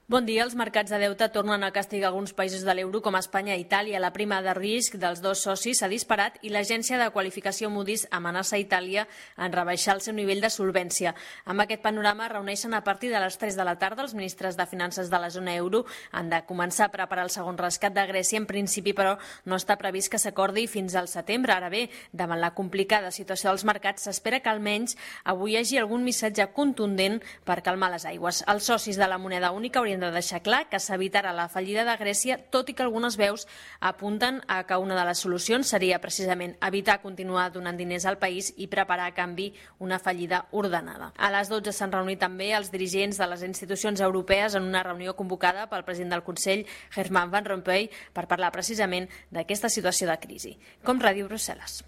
Bon dia. Els mercats de deute tornen a castigar alguns països de l'euro com Espanya i Itàlia. La prima de risc dels dos socis s'ha disparat i l'agència de qualificació Moody's amenaça Itàlia en rebaixar el seu nivell de solvència. Amb aquest panorama reuneixen a partir de les 3 de la tarda els ministres de finances de la zona euro. Han de començar a preparar el segon rescat de Grècia. En principi, però, no està previst que s'acordi fins al setembre. Ara bé, davant la complicada situació dels mercats, s'espera que almenys avui hi hagi algun missatge contundent per calmar les aigües. Els socis de la moneda única haurien de deixar clar que s'evitarà la fallida de Grècia, tot i que algunes veus apunten a que una de les solucions seria precisament evitar continuar donant diners al país i preparar a canvi una fallida ordenada. A les 12 s'han reunit també els dirigents de les institucions europees en una reunió convocada pel president del Consell, Herman Van Rompuy, per parlar precisament d'aquesta situació de crisi. Com Ràdio Brussel·les.